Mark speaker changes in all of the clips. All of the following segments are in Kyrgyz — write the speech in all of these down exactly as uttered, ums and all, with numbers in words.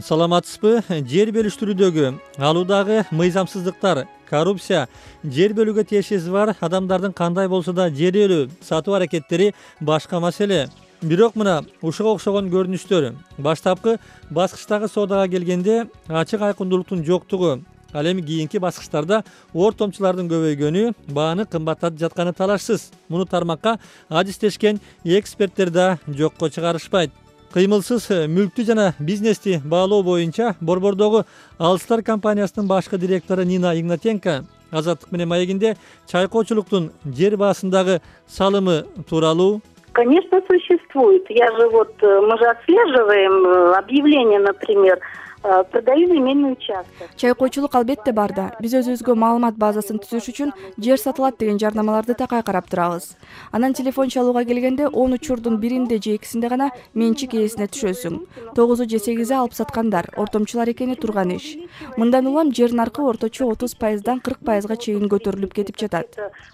Speaker 1: Саламатсызбы? Жер бөлүштүрүүдөгү алуудагы мыйзамсыздыктар, коррупция, жер бөлүүгө тиешеси бар адамдардын кандай болсо да жер ээлөө, сатуу аракеттери башка маселе. Бирок мына ушуга окшогон көрүнүштөр. Баштапкы баскычтагы соодага келгенде ачык айкындуулуктун жоктугу, ал эми кийинки баскычтарда ортомчулардын көбөйгөнү бааны кымбаттатып жатканы талашсыз. Муну тармакка адистешкен эксперттер да жокко чыгарышпайт. Кыймылсыз мүлктү жана бизнести баалоо боюнча Борбордогу Алстар компаниясынын башкы директору Нина Игнатенко Азаттык менен маегинде чайкоочулуктун жер баасындагы салымы тууралуу:
Speaker 2: Конечно, существует. Я же вот, мы же отслеживаем объявления, например, продаю земельный участок.
Speaker 3: Чайкоочулук албетте бар да. Биз өзүбүзгө маалымат базасын түзүш үчүн жер сатылат деген жарнамаларды такай карап турабыз. Анан телефон чалууга келгенде он учурдун биринде же экисинде гана менчик ээсине түшөсүң. тогузу же сегизи алып саткандар, ортомчулар экени турган иш. Мындан улам жер наркы орточо отуз пайыздан кырк пайызга чейин көтөрүлүп кетип жатат.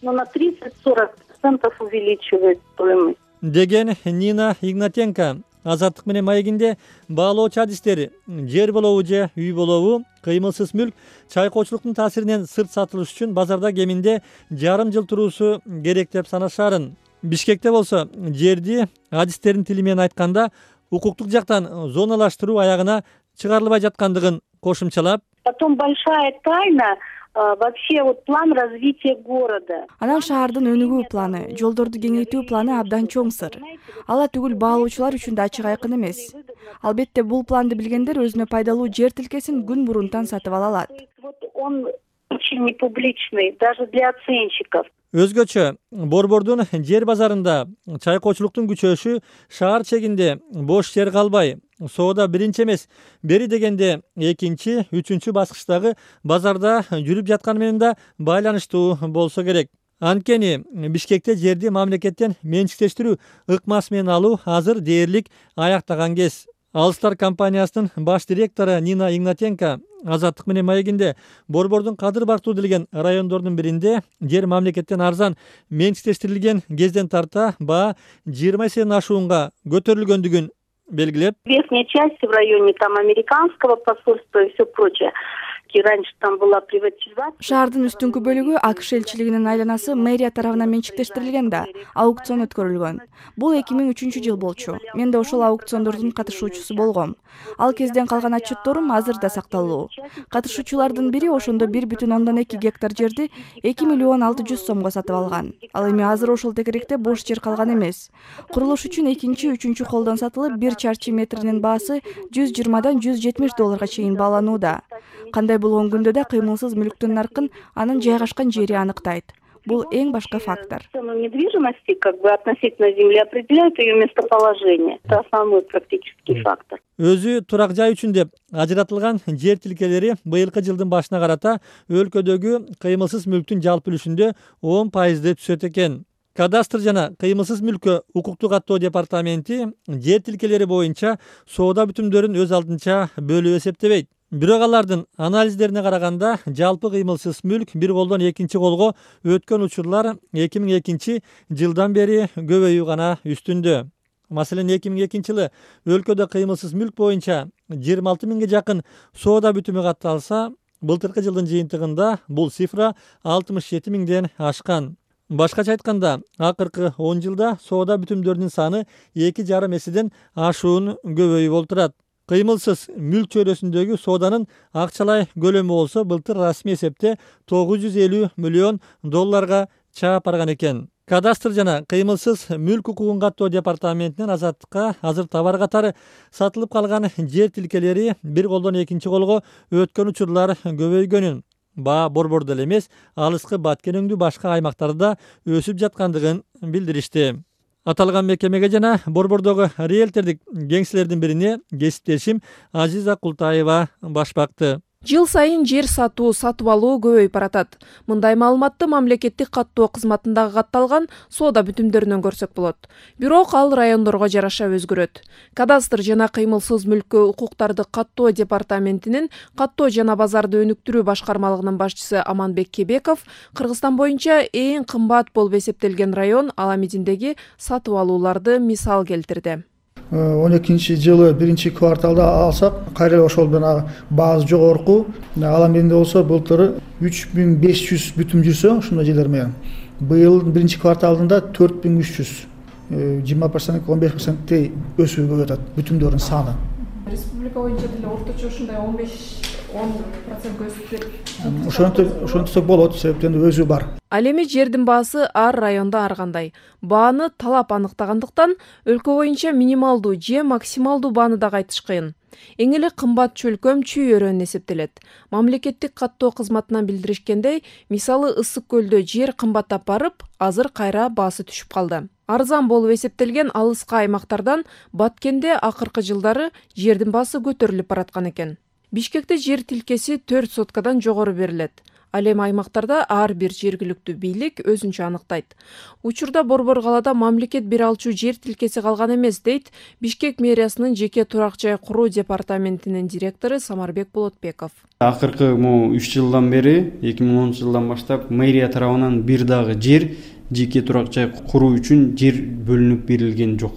Speaker 2: Но на тридцать-сорок процентов увеличивает стоимость.
Speaker 1: Деген Нина Игнатенко. Азаттык менен маегинде баалоочу адистер жер болобу же үй болобу, кыймылсыз мүлк чайкоочулуктун таасиринен сырт сатылыш үчүн базарда кеминде жарым жыл туруусу керек деп санашарын. Бишкекте болсо жерди адистердин тили менен айтканда укуктук жактан зоналаштыруу аягына чыгарылбай жаткандыгын кошумчалап:
Speaker 2: Потом большая тайна вообще вот план развития города.
Speaker 3: Анан шаардын өнүгүү планы, жолдорду кеңейтүү планы абдан чоң сыр. Ала түгүл баалоочулар үчүн да ачык айкын эмес. Албетте бул планды билгендер өзүнө пайдалуу жер тилкесин күн мурунтан сатып ала алат.
Speaker 2: Вот он очень непубличный даже для оценщиков.
Speaker 1: Өзгөчө Борбордун жер базарында чайкоочулуктун күчөшү шаар чегинде бош жер калбай, соода биринчи эмес, бери дегенде экинчи, үчүнчү баскычтагы базарда жүрүп жатканы менен да байланыштуу болсо керек. Анткени Бишкекте жерди мамлекеттен менчиктештирүү ыкмасы менен алуу азыр дээрлик аяктаган кез. Алстар компаниясынын баш директору Нина Игнатенко Азаттык менен маегинде Борбордун кадыр бактуу делген райондордун биринде жер мамлекеттен арзан менчиктештирилген кезден тарта баа жыйырма эседен ашуунга көтөрүлгөндүгүн белгилеп:
Speaker 2: Верхняя часть в районе там американского посольства и все прочее. Раньше там была приватизация.
Speaker 3: Шаардын үстүнкү бөлүгү АКШ элчилигинин айланасы мэрия тарабынан менчиктештирилген да, аукцион өткөрүлгөн. Бул эки миң үчүнчү жыл болчу. Мен да ошол аукциондордун катышуучусу болгом. Ал кезден калган отчетторум азыр да сакталуу. Катышуучулардын бири ошондо бир бүтүн ондон эки гектар жерди эки миллион алты жүз сомго сатып алган. Ал эми азыр ошол тегеректе бош жер калган эмес. Курулуш үчүн экинчи, үчүнчү колдон сатылып, бир чарчы метринин баасы жүз жыйырмадан жүз жетимиш долларга чейин бааланууда. Кандай болгон күндө да кыймылсыз мүлктүн наркын анын жайгашкан жери аныктайт. Бул эң башкы фактор.
Speaker 2: Недвижимости как бы относительно земли определяют ее местоположение. Это основной практический фактор.
Speaker 1: Өзү турак жай үчүн деп ажыратылган жер тилкелери быйылкы жылдын башына карата өлкөдөгү кыймылсыз мүлктүн жалпы үлүшүндө он пайызды түзөт экен. Кадастр жана кыймылсыз мүлккө укукту каттоо департаменти жер тилкелери боюнча соода бүтүмдөрүн өз алдынча бөлүп эсептебейт. Бирок алардын анализдерине караганда жалпы кыймылсыз мүлк бир колдон экинчи колго өткөн учурлар эки миң экинчи жылдан бери көбөйүү гана үстүндө. Маселен, эки миң экинчи жылы өлкөдө кыймылсыз мүлк боюнча жыйырма алты миңге жакын соода бүтүмү катталса, былтыркы жылдын жыйынтыгында бул цифра алтымыш жети миңден ашкан. Башкача айтканда, акыркы он жылда соода бүтүмдөрүнүн саны эки жарым эседен ашуун көбөйүп олтурат. Кыймылсыз мүлк чөйрөсүндөгү сооданын акчалай көлөмү болсо былтыр расмий эсепте тогуз жүз элүү миллион долларга чаап барган экен. Кадастр жана кыймылсыз мүлк укугун каттоо департаментинен Азаттыкка азыр товар катары сатылып калган жер тилкелери бир колдон экинчи колго өткөн учурлар көбөйгөнүн, баа борбордо эле эмес, алыскы баткен өңдүү башка аймактарда өсүп жаткандыгын билдиришти. Аталган мекемеге жана Борбордогу риэлтордук кеңселердин бирине кесиптешим Азиза Култаева баш бакты.
Speaker 4: Жыл сайын жер сатуу, сатып алуу көбөйүп баратат. Мындай маалыматты мамлекеттик каттоо кызматындагы катталган соода бүтүмдөрүнөн көрсөк болот. Бирок ал райондорго жараша өзгөрөт. Кадастр жана кыймылсыз мүлккө укуктарды каттоо департаментинин каттоо жана базарды өнүктүрүү башкармалыгынын башчысы Аманбек Кебеков Кыргызстан боюнча эң кымбат болуп эсептелген район Аламединдеги сатып алууларды мисал келтирди.
Speaker 5: он экинчи жылы биринчи кварталда алсак кайра ошол менен баасы жогорку, ал менде болсо былтыр үч миң беш жүз бүтүм жүрсө ушундай жерлер менен быйыл биринчи кварталында төрт миң үч жүз жыйырма процент он беш проценттей өсүү болуп атат бүтүмдөрдүн саны.
Speaker 4: Республика боюнча деле орточо ушундай он беш он процентке өсүп деп
Speaker 5: ошентип ошентсек болот, себептен өзү бар.
Speaker 4: Ал эми жердин баасы ар районда ар кандай. Бааны талап аныктагандыктан өлкө боюнча минималдуу же максималдуу бааны да айтыш кыйын. Эң эле кымбат чөлкөм Чүй өрөөнү эсептелет. Мамлекеттик каттоо кызматынан билдиришкендей, мисалы Ысык көлдө жер кымбаттап барып, азыр кайра баасы түшүп калды. Арзан болуп эсептелген алыска аймактардан Баткенде акыркы жылдары жердин баасы көтөрүлүп бараткан экен. Бишкекте жер тилкеси төрт соткадан жогору берилет. Ал эми аймактарда ар бир жергиликтүү бийлик өзүнчө аныктайт. Учурда Борбор калаада мамлекет бере алчу жер тилкеси калган эмес, дейт Бишкек мэриясынын жеке турак жай куруу департаментинин директору Самарбек Болотбеков.
Speaker 6: Акыркы үч жылдан бери, эки миң онунчу жылдан баштап мэрия тарабынан бир дагы жер жеке турак жай куруу үчүн жер бөлүнүп берилген жок.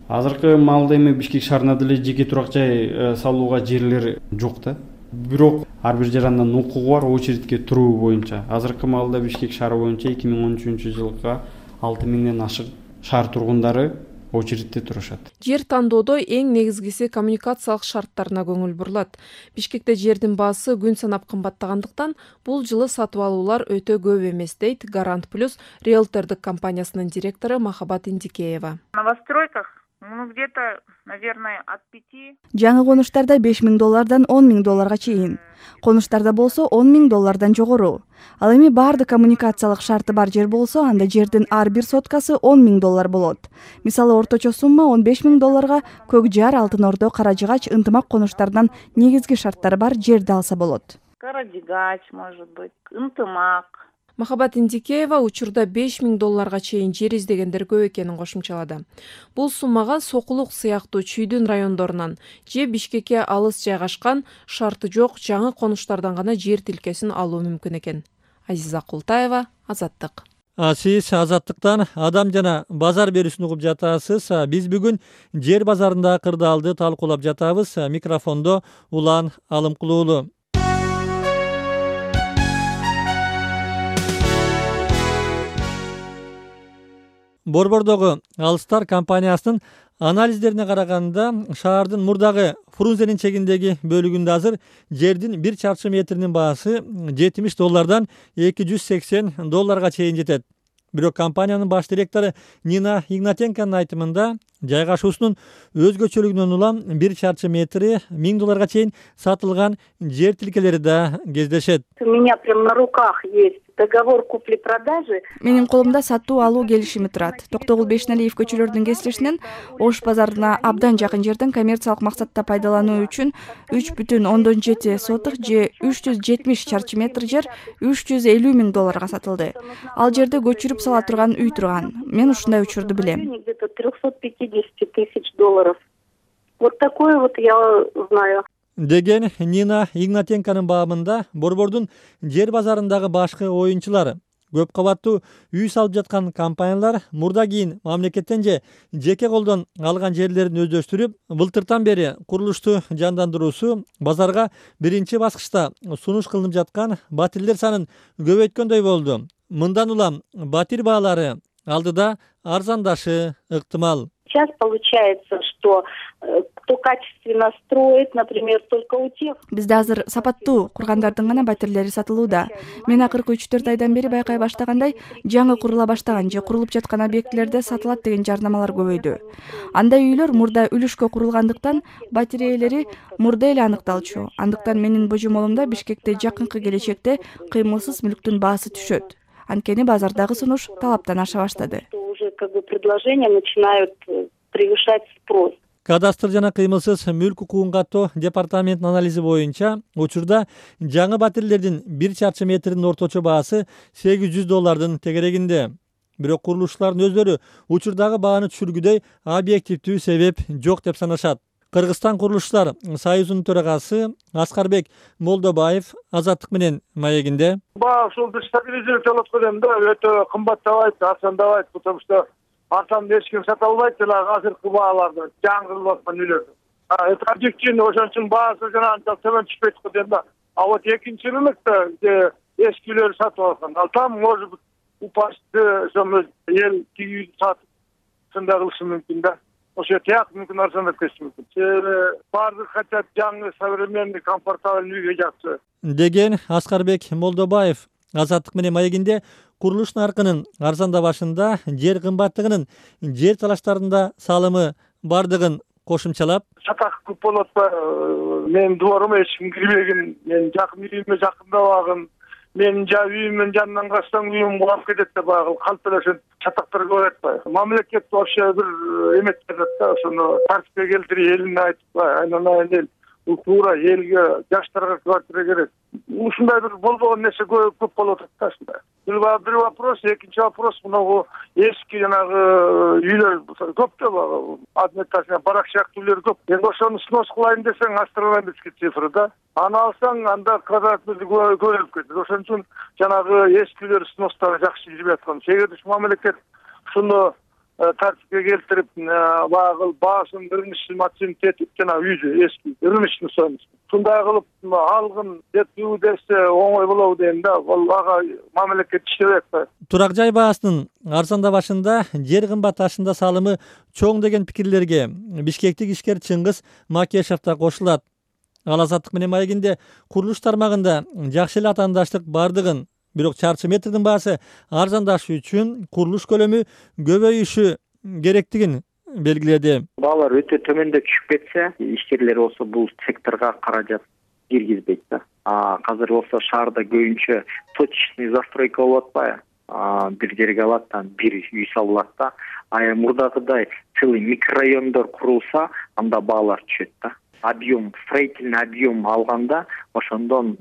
Speaker 6: Азыркы маалда эми Бишкек шаарында деле жеке турак жай салууга жерлер жок да. Бирок ар бир жарандан укугу бар очередке туруу боюнча. Азыркы маалда Бишкек шаары боюнча эки миң он үчүнчү жылга алты миңден ашык шаар тургундары очередте турушат.
Speaker 4: Жер тандоодо эң негизгиси коммуникациялык шарттарына көңүл бурулат. Бишкекте жердин баасы күн санап кымбаттагандыктан бул жылы сатып алуулар өтө көп эмес, дейт Гарант Плюс риэлтордук компаниясынын директору Махабат Индикеева.
Speaker 7: На новостройках ну где-то, наверное, от пяти.
Speaker 3: Жаңы конуштарда беш миң доллардан он миң долларга чейин. Конуштарда болсо он миң доллардан жогору. Ал эми баардык коммуникациялык шарты бар жер болсо, анда жердин ар бир соткасы он миң доллар болот. Мисалы орточо сумма он беш миң долларга Көк Жар, Алтын Ордо, Каражыгач, Ынтымак конуштарынан негизги шарттары бар жерди алса болот.
Speaker 7: Каражыгач, может быть, Ынтымак.
Speaker 4: Махабат Индикеева учурда беш миң долларга чейин жер издегендер көп экенин кошумчалады. Бул суммага Сокулук сыяктуу Чүйдүн райондорунан же Бишкекке алыс жайгашкан шарты жок жаңы конуштардан гана жер тилкесин алуу мүмкүн экен. Азиза Култаева, Азаттык.
Speaker 1: Сиз Азаттыктан адам жана базар берүүсүн угуп жатасыз. Биз бүгүн жер базарында кырдаалды талкуулап жатабыз. Микрофондо Улан Алымкулуулу. Борбордогу Алыстар компаниясынын анализдерине караганда шаардын мурдагы Фрунзенин чегиндеги бөлүгүндө азыр жердин бир чарчы метринин баасы жетимиш доллардан эки жүз сексен долларга чейин жетет. Бирок компаниянын баш директору Нина Игнатенконун айтымында жайгашуусунун өзгөчөлүгүнөн улам бир чарчы метри миң долларга чейин сатылган жер тилкелери да кездешет.
Speaker 2: У меня прям на руках есть договор купли-продажи.
Speaker 3: Менин колумда сатуу алуу келишими турат. Токтогул Бешналиев көчөлөрдүн кесилишинен Ош базарына абдан жакын жерден коммерциялык максатта пайдалануу үчүн үч бүтүн ондон жети соток же үч жүз жетимиш чарчы метр жер үч жүз элүү миң долларга сатылды. Ал жерде көчүрүп сала турган үй турган. Мен ушундай учурду билем.
Speaker 2: Где-то триста пятьдесят тысяч долларов. Вот такое вот я знаю.
Speaker 1: Деген Нина Игнатенконун баамында борбордун жер базарындагы башкы оюнчулар көп кабаттуу үй салып жаткан компаниялар мурда кийин мамлекеттен же жеке колдон алган жерлерин өздөштүрүп, былтыртан бери курулушту жандандыруусу базарга биринчи баскычта сунуш кылынып жаткан батирлер санын көбөйткөндөй болду. Мындан улам батир баалары алдыда арзандашы ыктымал.
Speaker 2: Сейчас получается, что кто качественно строит, например, только у тех.
Speaker 3: Бизде азыр сапаттуу кургандардын гана батирлери сатылууда. Мен акыркы үч төрт айдан бери байкай баштагандай, жаңы курула баштаган же курулуп жаткан объектилерде сатылат деген жарнамалар көбөйдү. Андай үйлөр мурда үлүшкө курулгандыктан батир ээлери мурда эле аныкталчу. Андыктан менин божомолумда Бишкекте жакынкы келечекте кыймылсыз мүлктүн баасы түшөт. Анткени базардагы сунуш талаптан аша баштады.
Speaker 2: Уже как бы предложения начинают превышать спрос.
Speaker 1: Кадастр жана кыймылсыз мүлк укугун каттоо департаментинин анализи боюнча учурда жаңы батирлердин бир чарчы метринин орточо баасы сегиз жүз доллардын тегерегинде. Бирок курулушчулардын өздөрү учурдагы бааны түшүргүдөй объективдүү себеп жок деп санашат. Кыргызстан курулушчулар союзунун төрагасы Аскарбек Молдобаев Азаттык менен маегинде.
Speaker 8: Баа ушул стабилизировать болуп аткан да өтө кымбаттабайт, арзандабайт, потому что артан эч ким сата албайт эле азыркы бааларды жаңырылып аткан үйлөрдү. Это объективно, ошон үчүн баасы жана анча төмөн түшпөйт го дейм да. А вот экинчи рынокто эски үйлөр сатып алган. Ал там может быть упасть, ошо эл тиги үйдү сатып сындай кылышы мүмкүн да. Ошо тияк мүмкүн арзандап кетиши мүмкүн. Себеби баардык хотят жаңы, современный, комфортабельный үйгө жакшы
Speaker 1: деген Аскарбек Молдобаев. Азаттык менен маегинде курулуш наркынын арзандабашында жер кымбаттыгынын жер талаштарында салымы бардыгын кошумчалап,
Speaker 8: сатак көп болот атпайбы? Менин дворума эч ким кирбегин, мен жакын үйүмө жакындабагын, менин жа үйүмдүн жанынан качсаң үйүм кулап кетет деп баягы калп эле ошентип чатактар көп атпайбы? Мамлекет вообще бир эмет берет да, ошону тартипке келтирип, элине айтып, айнанайын эл, бул туура элге, жаштарга квартира керек. Ушундай бир болбогон нерсе көп болуп атат да ушундай. Бир вопрос, экинчи вопрос, мынагу эски жанагы үйлөр көп да баягы адметташына барак сыяктуу үйлөр көп. Эми ошону снос кылайын десең астрономический цифра да. Аны алсаң анда квадрат метр көбөйүп кетет. Ошон үчүн жанагы эски үйлөр сностор жакшы жүрүп аткан. Эгер мамлекет ушуну тартипке келтирип, баягы баасын рыночный тетип жана үйдү эски рыночный стоимость ушундай кылып алгын деп десе оңой болобу дейм да. Ал ага мамлекет иштебей атпайбы? Турак
Speaker 1: жай баасынын арзандабашында жер кымбатташында салымы чоң деген пикирлерге Бишкектик ишкер Чыңгыз Макешев да кошулат. Ал Азаттык менен маегинде курулуш тармагында жакшы эле атаандаштык бардыгын, бирок чарчы метрдин баасы арзандашы үчүн курулуш көлөмү көбөйүшү керектигин белгиледи.
Speaker 9: Баалар өтө төмөндө түшүп кетсе, ишкерлер болсо бул секторго каражат киргизбейт да. А азыр болсо шаарда көбүнчө точечный застройка болуп атпайбы? Бир жерге алат, бир үй салынат да. А мурдагыдай целый микрорайондор курулса, анда баалар түшөт да. Объем, строительный объем алганда, ошондон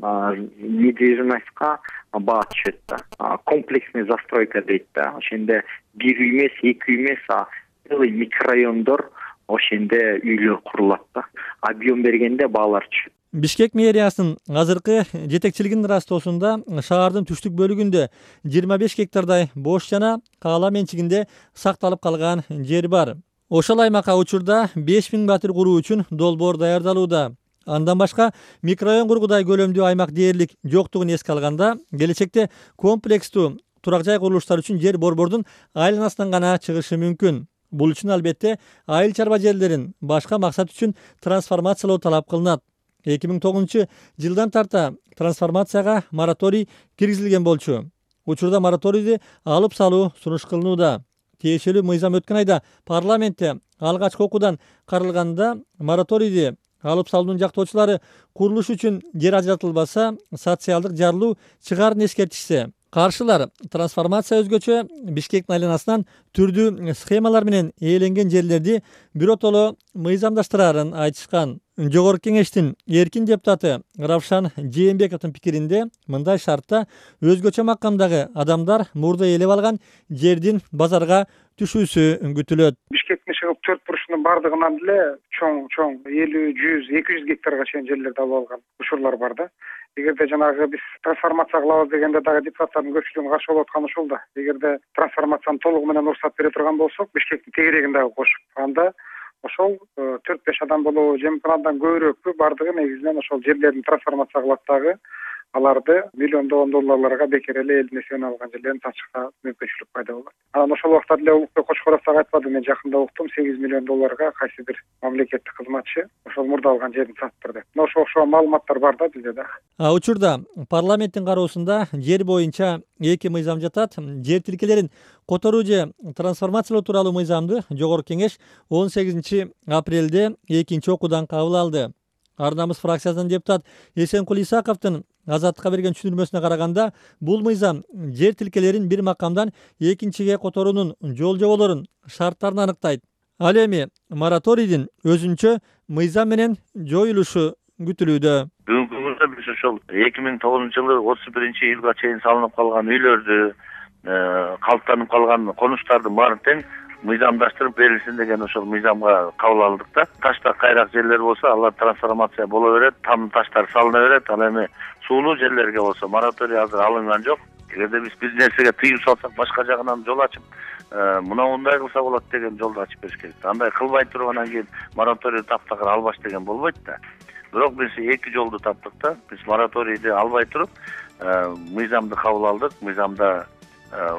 Speaker 9: недвижимостька баа түшөт да. Комплексный застройка дейт да. Ошенде бир үй эмес, эки үй эмес, а целый микрорайондор ошенде үйлөр курулат да. Объем бергенде баалар түшөт.
Speaker 1: Бишкек мэриясынын азыркы жетекчилигинин ырастоосунда шаардын түштүк бөлүгүндө жыйырма беш гектардай бош жана каала менчигинде сакталып калган жер бар. Ошол аймакка учурда беш миң батир куруу үчүн долбоор даярдалууда. Андан башка микрорайон кургудай көлөмдүү аймак дээрлик жоктугун эске алганда, келечекте комплекстүү турак жай курулуштары үчүн жер борбордун айланасынан гана чыгышы мүмкүн. Бул үчүн албетте айыл чарба жерлерин башка максат үчүн трансформациялоо талап кылынат. эки миң тогузунчу жылдан тарта трансформацияга мораторий киргизилген болчу. Учурда мораторийди алып салуу сунуш кылынууда. Тиешелүү мыйзам өткөн айда парламентте алгачкы окуудан каралганда мораторийди алып салуунун жактоочулары курулуш үчүн жер ажыратылбаса социалдык жарылуу чыгаарын эскертишсе, каршылар трансформация өзгөчө Бишкектин айланасынан түрдүү схемалар менен ээленген жерлерди биротоло мыйзамдаштырарын айтышкан. Жогорку кеңештин эркин депутаты Равшан Жээнбековдун пикиринде мындай шартта өзгөчө макамдагы адамдар мурда ээлеп алган жердин базарга түшүүсү күтүлөт.
Speaker 10: Бишкектин чыгып төрт бурушунун бардыгынан деле чоң чоң элүү, жүз, эки жүз гектарга чейин жерлерди алып алган учурлар бар да. Эгерде жанагы биз трансформация кылабыз дегенде дагы депутаттардын көпчүлүгүнүн каршы болуп атканы ушул да. Эгерде трансформацияны толугу менен уруксат бере турган болсок, Бишкектин тегерегин дагы кошуп, анда ошол төрт беш адам болобу же мүмкүн андан көбүрөөкпү бардыгы негизинен ошол жерлерин трансформация кылат дагы аларды миллиондогон долларларга бекер эле элдин эсебине алган жерлерин сатышка мүмкүнчүлүк пайда болот. Анан ошол убакта деле Улукбек Кочкоров дагы айтпады, мен жакында уктум, сегиз миллион долларга кайсы бир мамлекеттик кызматчы ошол мурда алган жерин сатыптыр деп. Мына ошо окшогон маалыматтар бар да бизде да.
Speaker 1: А учурда парламенттин кароосунда жер боюнча эки мыйзам жатат. Жер тилкелерин которуу же трансформациялоо тууралуу мыйзамды жогорку кеңеш он сегизинчи апрелде экинчи окуудан кабыл алды. Ар намыс фракциясынын депутат Эсенкул Исаковдун Азаттыкка берген түшүндүрмөсүнө караганда, бул мыйзам жер тилкелерин бир макамдан экинчиге которуунун жол жоболорун, шарттарын аныктайт. Ал эми мораторийдин өзүнчө мыйзам менен жоюлушу күтүлүүдө.
Speaker 11: Бүгүнкү күндө биз ошол эки миң тогузунчу жылы отуз биринчи июлга чейин салынып калган үйлөрдү, калыптанып калган конуштардын баарын тең мыйзамдаштырып берилсин деген ошол мыйзамга кабыл алдык да. Ташта кайрак жерлер болсо алар трансформация боло берет, там таштар салына берет. Ал эми суулуу жерлерге болсо мораторий азыр алынган жок. эгерде биз бир нерсеге тыюу салсак башка жагынан жол ачып мына мындай кылса болот деген жолду ачып бериш керек. Андай кылбай туруп анан кийин мораторий таптакыр албаш деген болбойт да. Бирок биз эки жолду таптык да. Биз мораторийди албай туруп мыйзамды кабыл алдык. Мыйзамда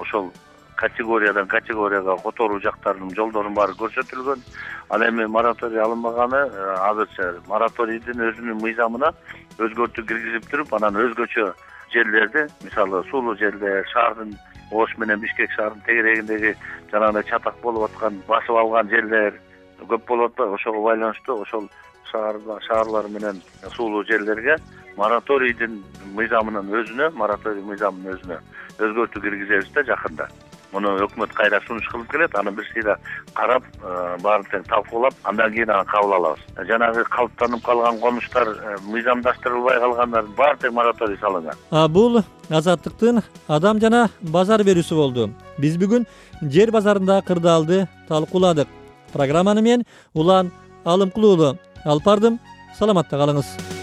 Speaker 11: ошол категориядан категорияга которуу жактарынын жолдорунун баары көрсөтүлгөн. Ал эми мораторий алынбаганы азырча мораторийдин өзүнүн мыйзамына өзгөртүү киргизип туруп, анан өзгөчө жерлерди, мисалы суулуу жерлер, шаардын Ош менен Бишкек шаарынын тегерегиндеги жанагындай чатак болуп аткан, басып алган жерлер көп болуп атпайбы? Ошого байланыштуу ошол шаарлар менен суулуу жерлерге мораторийдин мыйзамынын өзүнө, мораторий мыйзамынын өзүнө өзгөртүү киргизебиз да жакында. Муну өкмөт кайра сунуш кылып келет, аны бир сыйра карап, баарын тең талкуулап, андан кийин аны кабыл алабыз. Жанагы калыптанып калган конуштар, мыйзамдаштырылбай калгандардын баары тең мораторий салынган.
Speaker 1: А бул Азаттыктын адам жана базар берүүсү болду. Биз бүгүн жер базарындагы кырдаалды талкууладык. Программаны мен Улан Алымкулуулу алып бардым. Саламатта калыңыз.